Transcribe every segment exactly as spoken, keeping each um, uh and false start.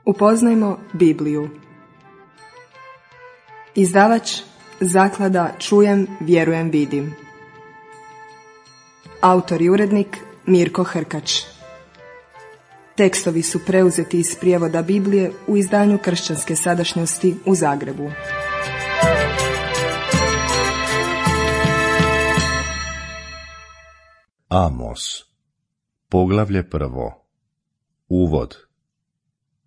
Upoznajmo Bibliju. Izdavač Zaklada Čujem, vjerujem, vidim. Autor i urednik Mirko Hrkač. Tekstovi su preuzeti iz prijevoda Biblije u izdanju Kršćanske sadašnjosti u Zagrebu. Amos, poglavlje prvo. Uvod.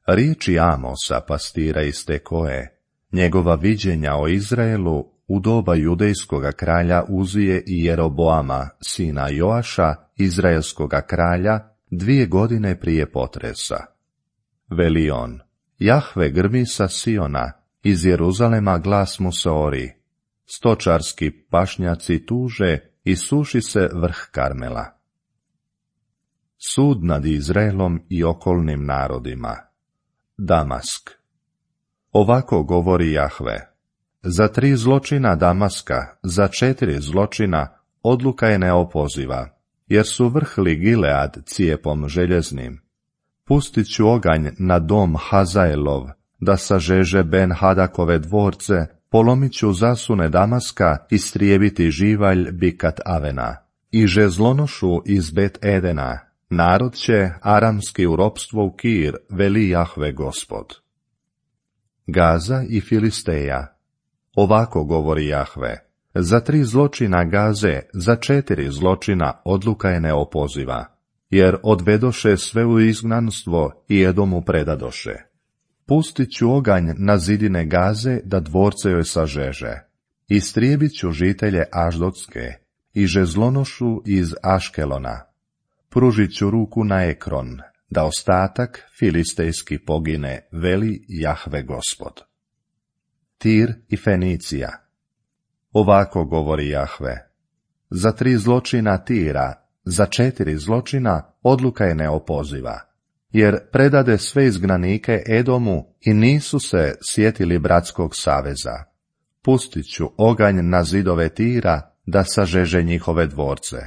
Riječi Amosa, pastira iz Tekoe, njegova viđenja o Izraelu u doba judejskoga kralja Uzije i Jeroboama, sina Joaša, izraelskoga kralja, dvije godine prije potresa. Veli on: Jahve grmi sa Siona, iz Jeruzalema glas mu se ori. Stočarski pašnjaci tuže i suši se vrh Karmela. Sud nad Izraelom i okolnim narodima. Damask. Ovako govori Jahve: za tri zločina Damaska, za četiri zločina, odluka je neopoziva, jer su vrhli Gilead cijepom željeznim. Pustit ću oganj na dom Hazaelov, da sažeže Ben Hadakove dvorce, polomit ću zasune Damaska, istrijebiti živalj Bikat Avena. I žezlonošu iz Bet Edena, narod će aramski u ropstvo u Kir, veli Jahve Gospod. Gaza i Filisteja. Ovako govori Jahve: za tri zločina Gaze, za četiri zločina odluka je neopoziva, jer odvedoše sve u izgnanstvo i Edomu predadoše. Pustit ću oganj na zidine Gaze, da dvorce joj sažeže. Istrijebit ću žitelje Aždotske i žezlonošu iz Aškelona. Pružit ću ruku na Ekron, da ostatak filistejski pogine, veli Jahve Gospod. Tir i Fenicija. Ovako govori Jahve: za tri zločina Tira, za četiri zločina odluka je neopoziva, jer predade sve izgnanike Edomu i nisu se sjetili bratskog saveza. Pustit ću oganj na zidove Tira, da sažeže njihove dvorce.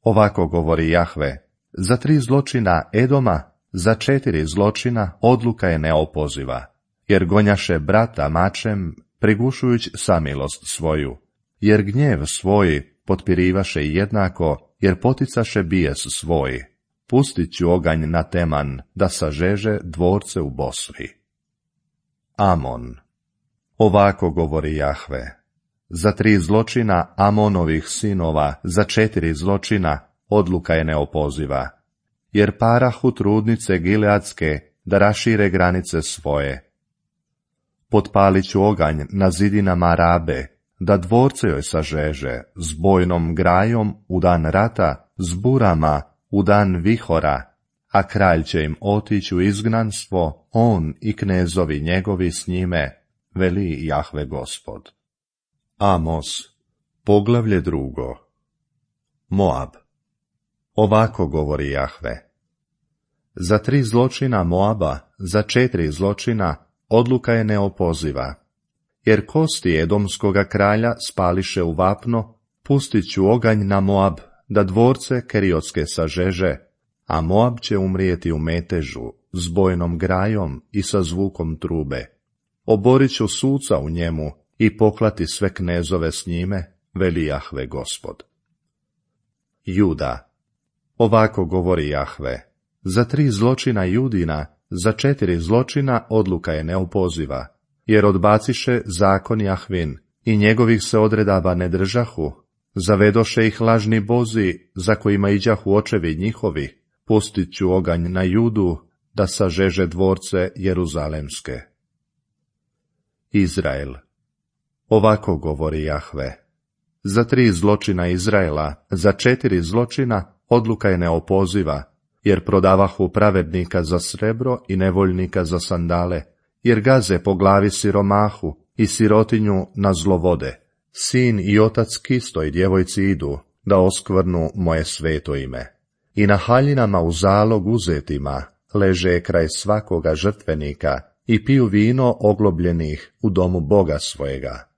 Ovako govori Jahve: za tri zločina Edoma, za četiri zločina odluka je neopoziva, jer gonjaše brata mačem, prigušujući samilost svoju, jer gnjev svoj potpirivaše jednako, jer poticaše bijes svoj. Pustit ću oganj na Teman, da sažeže dvorce u Bosri. Amon. Ovako govori Jahve: za tri zločina Amonovih sinova, za četiri zločina odluka je neopoziva, jer parahu trudnice Gileadske da rašire granice svoje. Potpalit ću oganj na zidinama Rabe, da dvorce joj sažeže, s bojnom grajom u dan rata, s burama u dan vihora, a kralj će im otići u izgnanstvo, on i knezovi njegovi s njime, veli Jahve Gospod. Amos, poglavlje drugo. Moab. Ovako govori Jahve: za tri zločina Moaba, za četiri zločina odluka je neopoziva, jer kosti edomskoga kralja spališe u vapno. Pustit ću oganj na Moab, da dvorce Keriotske sažeže, a Moab će umrijeti u metežu, s bojnom grajom i sa zvukom trube. Oborit ću suca u njemu i poklati sve knezove s njime, veli Jahve Gospod. Juda. Ovako govori Jahve: za tri zločina Judina, za četiri zločina odluka je neopoziva, jer odbaciše zakon Jahvin i njegovih se odredaba ne držahu, zavedoše ih lažni bozi, za kojima iđahu očevi njihovi. Pustit ću oganj na Judu, da sažeže dvorce Jeruzalemske. Izrael. Ovako govori Jahve: za tri zločina Izraela, za četiri zločina odluka je neopoziva, jer prodavahu pravednika za srebro i nevoljnika za sandale, jer gaze po glavi siromahu i sirotinju na zlovode. Sin i otac kistoj djevojci idu, da oskvrnu moje sveto ime. I na haljinama u zalog uzetima leže kraj svakoga žrtvenika i piju vino oglobljenih u domu Boga svojega.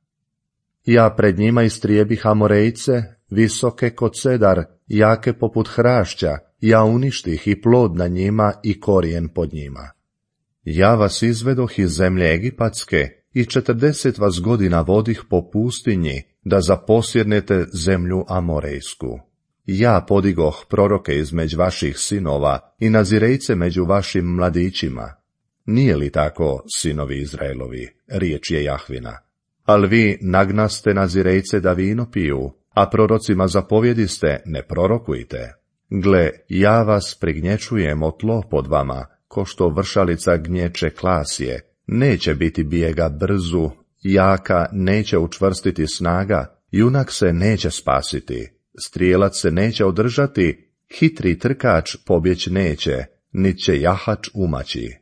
Ja pred njima istrijebih Amorejce, visoke ko cedar, jake poput hrašća, ja uništih i plod na njima i korijen pod njima. Ja vas izvedoh iz zemlje Egipatske i četrdeset vas godina vodih po pustinji, da zaposjednete zemlju Amorejsku. Ja podigoh proroke između vaših sinova i nazirejce među vašim mladićima. Nije li tako, sinovi Izraelovi, riječ je Jahvina? Al vi nagnaste nazirejce da vino piju, a prorocima zapovjediste, ne prorokujte. Gle, ja vas prignječujem o tlo pod vama, ko što vršalica gnječe klasje. Neće biti bijega brzu, jaka neće učvrstiti snaga, junak se neće spasiti, strijelac se neće održati, hitri trkač pobjeć neće, nit će jahač umaći.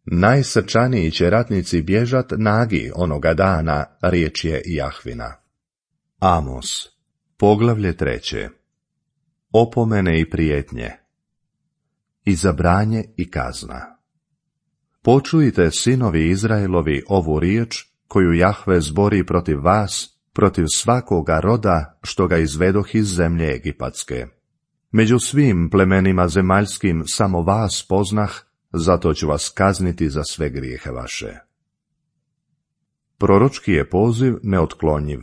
Najsrčaniji će ratnici bježat nagi onoga dana, riječ je Jahvina. Amos, poglavlje treće. Opomene i prijetnje. Izabranje i kazna. Počujte, sinovi Izraelovi, ovu riječ koju Jahve zbori protiv vas, protiv svakoga roda što ga izvedoh iz zemlje Egipatske. Među svim plemenima zemaljskim samo vas poznah, zato ću vas kazniti za sve grijehe vaše. Proročki je poziv neotklonjiv.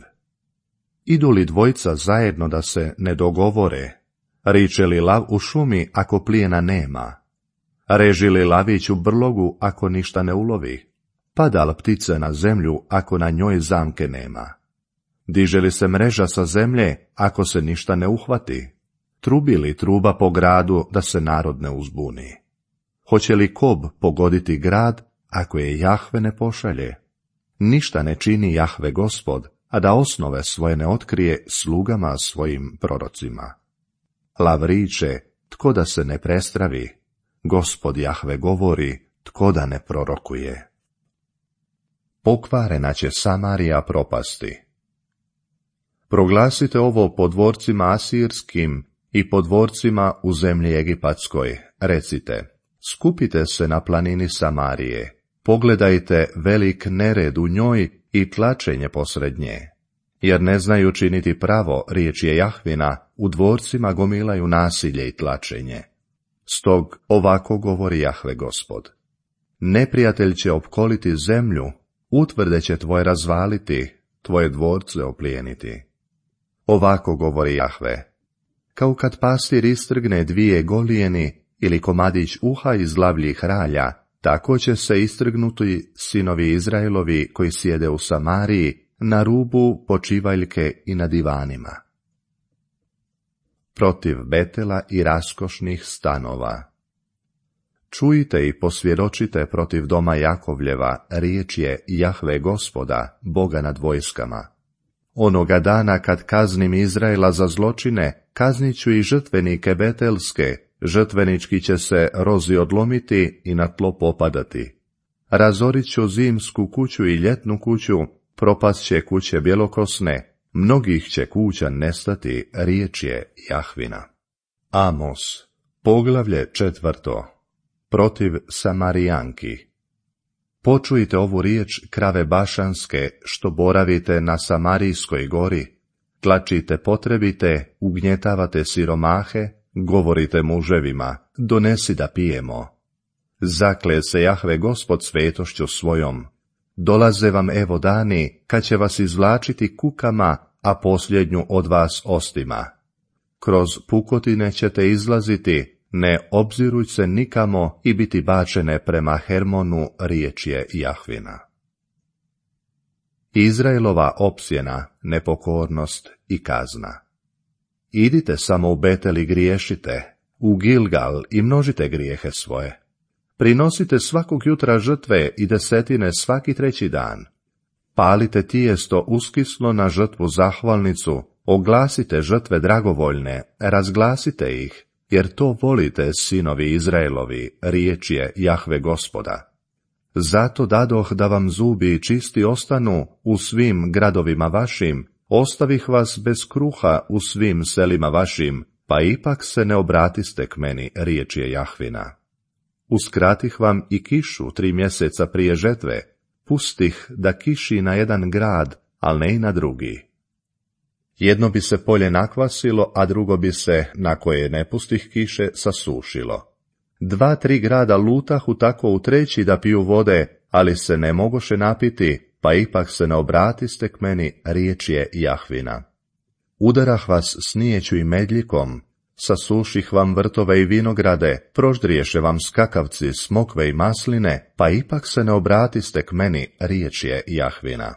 Idu li dvojica zajedno da se ne dogovore? Riče li lav u šumi ako plijena nema? Reži li lavić u brlogu ako ništa ne ulovi? Pada li ptice na zemlju ako na njoj zamke nema? Diže li se mreža sa zemlje ako se ništa ne uhvati? Trubi li truba po gradu da se narod ne uzbuni? Hoće li kob pogoditi grad ako je Jahve ne pošalje? Ništa ne čini Jahve Gospod, a da osnove svoje ne otkrije slugama svojim prorocima. Lav riče, tko da se ne prestravi? Gospod Jahve govori, tko da ne prorokuje? Pokvarena će Samarija propasti. Proglasite ovo po dvorcima asirskim i po dvorcima u zemlji Egipatskoj. Recite, skupite se na planini Samarije, pogledajte velik nered u njoj i tlačenje posred nje. Jer ne znaju činiti pravo, riječ je Jahvina, u dvorcima gomilaju nasilje i tlačenje. Stog ovako govori Jahve Gospod. Neprijatelj će opkoliti zemlju, utvrde će tvoje razvaliti, tvoje dvorce oplijeniti. Ovako govori Jahve. Kao kad pastir istrgne dvije golijeni ili komadić uha iz lavljih ralja, tako će se istrgnuti sinovi Izraelovi koji sjede u Samariji, na rubu počivaljke i na divanima. Protiv Betela i raskošnih stanova. Čujte i posvjedočite protiv doma Jakovljeva, riječ je Jahve Gospoda, Boga nad vojskama. Onoga dana kad kaznim Izraela za zločine, kaznit ću i žrtvenike betelske, žrtvenički će se rozi odlomiti i na tlo popadati. Razorit ću zimsku kuću i ljetnu kuću, propast će kuće bjelokosne, mnogih će kuća nestati, riječ je Jahvina. Amos, poglavlje četvrto. Protiv Samarijanki. Počujte ovu riječ, krave bašanske, što boravite na Samarijskoj gori, tlačite potrebite, ugnjetavate siromahe, govorite muževima, donesi da pijemo. Zakle se Jahve Gospod svetošću svojom. Dolaze vam evo dani, kad će vas izvlačiti kukama, a posljednju od vas ostima. Kroz pukotine ćete izlaziti, ne obziruj se nikamo i biti bačene prema Hermonu, riječ je Jahvina. Izraelova opsjena, nepokornost i kazna. Idite samo u Betel i griješite, u Gilgal i množite grijehe svoje. Prinosite svakog jutra žrtve i desetine svaki treći dan. Palite tijesto uskislo na žrtvu zahvalnicu, oglasite žrtve dragovoljne, razglasite ih, jer to volite, sinovi Izraelovi, riječ je Jahve Gospoda. Zato dadoh da vam zubi čisti ostanu u svim gradovima vašim, ostavih vas bez kruha u svim selima vašim, pa ipak se ne obratiste k meni, riječ je Jahvina. Uskratih vam i kišu tri mjeseca prije žetve, pustih da kiši na jedan grad, al ne i na drugi. Jedno bi se polje nakvasilo, a drugo bi se, na koje ne pustih kiše, sasušilo. Dva, tri grada lutahu tako u treći da piju vode, ali se ne mogoše napiti, pa ipak se ne obratiste k meni, riječ je Jahvina. Udarah vas snijeću i medljikom, sasuših vam vrtove i vinograde, proždriješe vam skakavci, smokve i masline, pa ipak se ne obratiste k meni, riječ je Jahvina.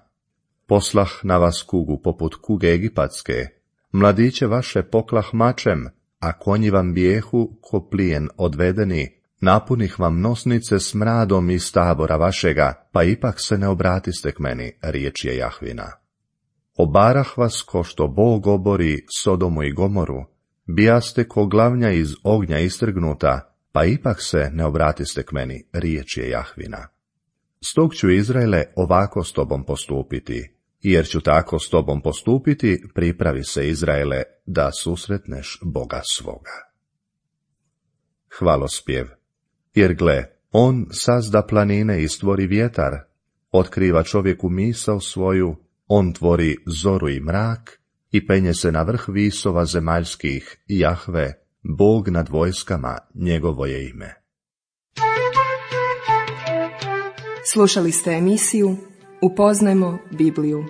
Poslah na vas kugu poput kuge egipatske, mladiće vaše poklah mačem, a konji vam bijehu ko plijen odvedeni, napunih vam nosnice smradom iz tabora vašega, pa ipak se ne obratiste k meni, riječ je Jahvina. Obarah vas ko što Bog obori Sodomu i Gomoru, bijaste ko glavnja iz ognja istrgnuta, pa ipak se ne obratiste k meni, riječ je Jahvina. Stog ću, Izraele, ovako s tobom postupiti, jer ću tako s tobom postupiti, pripravi se, Izraele, da susretneš Boga svoga. Hvalospjev. Jer gle, on sazda planine i stvori vjetar, otkriva čovjeku misao svoju, on tvori zoru i mrak i penje se na vrh visova zemaljskih, Jahve, Bog nad vojskama, njegovo je ime. Slušali ste emisiju Upoznajmo Bibliju.